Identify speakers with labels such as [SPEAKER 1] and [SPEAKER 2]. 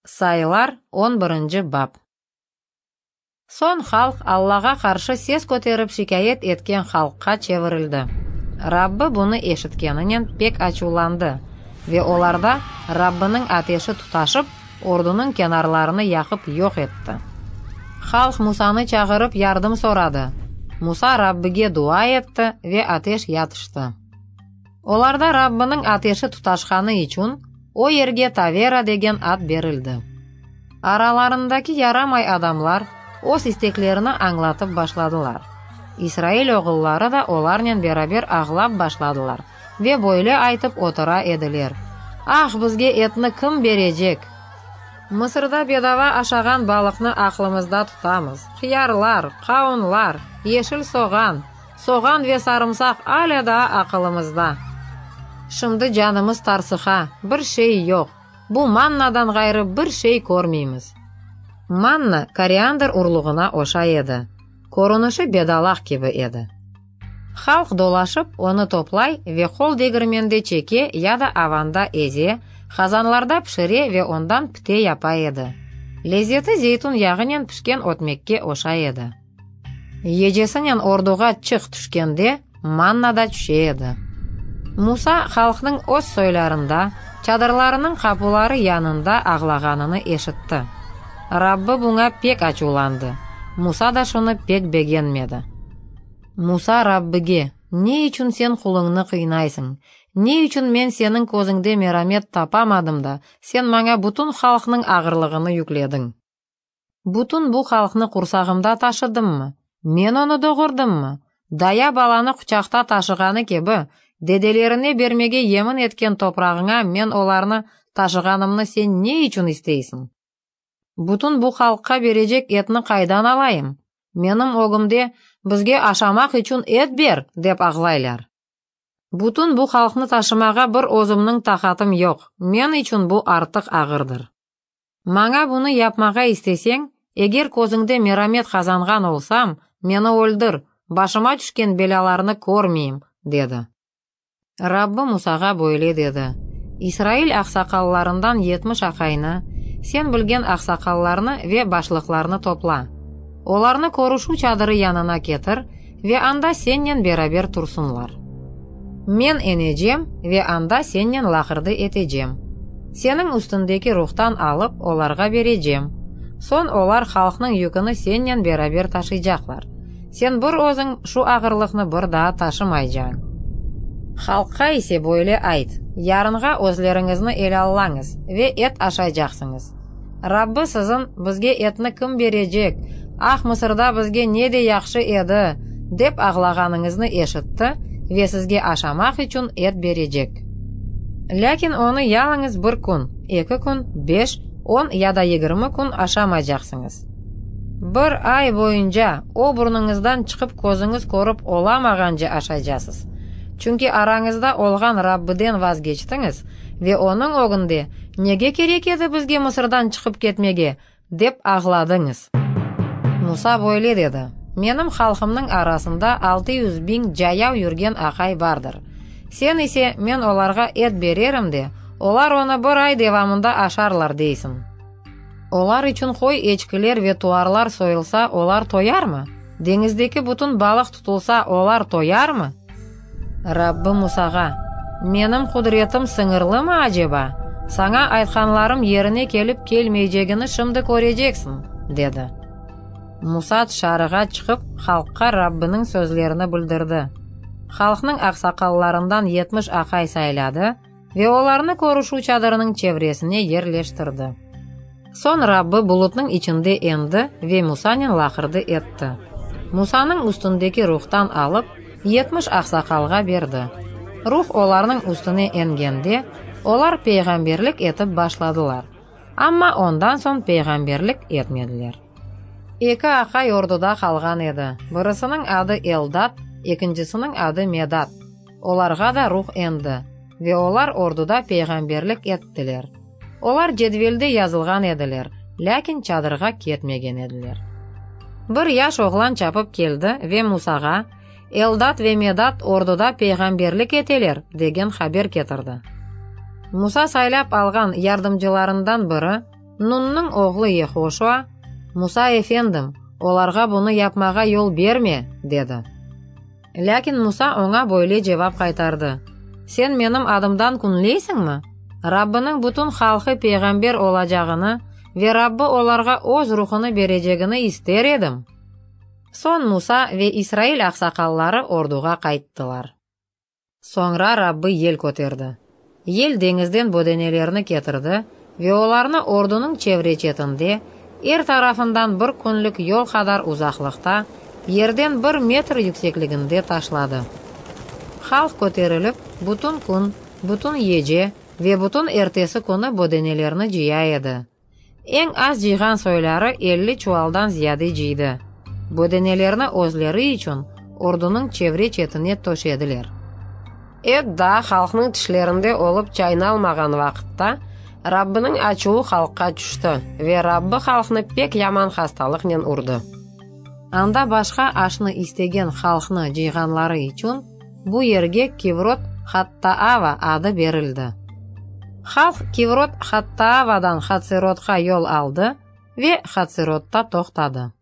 [SPEAKER 1] Sayılar, on birinci bap. Soñ halq Allağa qarşı ses köterip şikâyet etken halqqa çevirildi. Rabbi bunı eşitkeninen pek açuvlandı, ve olarda Rabbiniñ ateşi tutaşıp, ordunıñ kenarlarını yaqıp yoq etti. Halq Musanı çağırıp yardım soradı. Musa Rabbige dua etti ve ateş yatıştı. Olarda Rabbiniñ ateşi tutaşqanı içün, o yerge Tavera degen ad berildi. Aralarındaki yaramay adamlar öz isteklerini añlatıp başladılar. İsrail oğulları da olarnen beraber ağlap başladılar ve böyle aytıp otura ediler, Ah, bizge etni kim berecek? Mısırda bedava aşağan balıqnı aqlımızda tutamız, hıyarlar, qavunlar, yeşil soğan, Soğan ve sarımsaq alâ daa aqılımızda. Şimdi canımız tarsıqa, bir şey yoq, bu mannadan ğayrı bir şey körmeymiz. Manna koriandr urluğına oşay edi, körünişi bedalaq kibi edi. Halq dolaşıp, onı toplay ve qol degirmende çeke ya da avanda eze, qazanlarda pişire ve ondan pite yapa edi. Lezeti zeytun yağınen pişken ötmekke oşay edi. Gecesinen orduğa çıq tüşkende, manna da tüşe edi. Musa halqnıñ öz soylarında, çadırlarınıñ qapuları yanında ağlağanını eşitti. Rabbi buña pek açuvlandı, Musa da şunı pek begenmedi. Musa Rabbige, Ne içün sen quluñnı qıynaysıñ? Ne içün men seniñ közüñde meramet tapamadım da, sen maña bütün halqnıñ ağırlığını yüklediñ? Bütün bu halqnı qursağımda taşıdımmı? Men onı doğurdımmı? Daya balanı quçaqta taşığanı kibi, dedelerine bermege yemin etken toprağıña men olarnı taşığanımnı sen ne içün isteysiñ? Bütün bu halqqa berecek etni qaydan alayım? Menim ögümde, Bizge aşamaq içün et ber! dep ağlaylar. Bütün bu halqnı taşımağa bir özümniñ taqatım yoq, men içün bu artıq ağırdır. Maña bunı yapmağa isteseñ, eger közüñde meramet qazanğan olsam, meni öldür, başıma tüşken belâlarnı körmeyim, dedi. Rabbi Musağa böyle dedi, İsrail aqsaqallarından 70 aqaynı, sen bilgen aqsaqallarnı ve başlıqlarnı topla. Olarnı körüşüv çadırı yanına ketir ve anda sennen beraber tursunlar. Men enecem ve anda sennen laqırdı etecem. Seniñ üstündeki ruhtan alıp, olarğa berecem. Soñ olar halqnıñ yüküni sennen beraber taşıycaqlar. Sen bir özüñ şu ağırlıqnı bir daa taşımaycañ. Halqqa ise böyle ayt, Yarınğa özleriñizni elâllañız ve et aşaycaqsıñız. Rabbi siziñ, Bizge etni kim berecek? Ah, Mısırda bizge ne de yahşı edi! dep ağlağanıñıznı eşitti ve sizge aşamaq içün et berecek. Lâkin onı yalıñız bir kün, eki kün, beş, on ya da 20 kün aşamaycaqsıñız. Bir ay boyunca o burnuñızdan çıqıp közüñiz körip olamağance aşaycasız. Çünki arañızda olğan Rabbiden vazgeçtiñiz ve onıñ ögünde, Nege kerek edi bizge Mısırdan çıqıp ketmege? dep ağladıñız. Musa böyle dedi, Menim halqımnıñ arasında 600 biñ cayav yürgen aqay bardır. Sen ise, Men olarğa et bererim de, olar onı bir ay devamında aşarlar, deysiñ. Olar içün qoy-eçkiler ve tuarlar soyulsa, olar toyarmı? Deñizdeki bütün balıq tutulsa, olar toyarmı? Rabbi Musağa, Menim qudretim sıñırlımı aceba? Saña aytqanlarım yerine kelip kelmeycegini şimdi köreceksiñ, dedi. Musa tışarığa çıqıp, halqqa Rabbiniñ sözlerini bildirdi. Halqnıñ aqsaqallarından 70 aqay sayladı ve olarnı körüşüv çadırınıñ çevresine yerleştirdi. Soñ Rabbi bulutnıñ içinde endi ve Musanen laqırdı etti. Musanıñ üstündeki ruhtan alıp, 70 aqsaqalğa berdi. Ruh olarnıñ üstüne engende, olar peyğamberlik etip başladılar. Amma ondan soñ peyğamberlik etmediler. Eki aqay orduda qalğan edi. Birisiniñ adı Eldad, ekincisiniñ adı Medad. Olarğa da ruh endi, ve olar orduda peyğamberlik ettiler. Olar cedvelde yazılğan ediler, lâkin çadırğa ketmegen ediler. Bir yaş oğlan çapıp keldi ve Musağa, Eldad ve Medad orduda peyğamberlik eteler, degen haber ketirdi. Musa saylap alğan yardımcılarından biri, Nunnıñ oğlu Yehoşua, Musa efendim, olarğa bunı yapmağa yol berme, dedi. Lâkin Musa oña böyle cevap qaytardı, Sen menim adımdan künleysiñmi? Rabbiniñ bütün halqı peyğamber olacağını ve Rabbi olarğa Öz Ruhunı berecegini ister edim! Soñ Musa ve İsrail aqsaqalları orduğa qayttılar. Soñra Rabbi yel köterdi. Yel deñizden bödenelerni ketirdi ve olarnı ordunıñ çevre-çetinde, er tarafından bir künlük yol qadar uzaqlıqta, yerden bir metr yüksekliginde taşladı. Halq köterilip, bütün kün, bütün gece ve bütün ertesi künü bödenelerni cıya edi. Eñ az cıyğan soyları 50 çuvaldan ziyade cıydı. Bödenelerni özleri içün ordunıñ çevre-çetine töşediler. Et daa halqnıñ tişlerinde olıp çaynalmağan vaqıtta, Rabbiniñ açuvı halqqa tüşti ve Rabbi halqnı pek yaman hastalıqnen urdı. Anda başqa aşnı istegen halqnı cıyğanları içün bu yerge Kivrot-Hattaava adı berildi. Halq Kivrot-Hattaavadan Hatserotqa yol aldı ve Hatserotta toqtadı.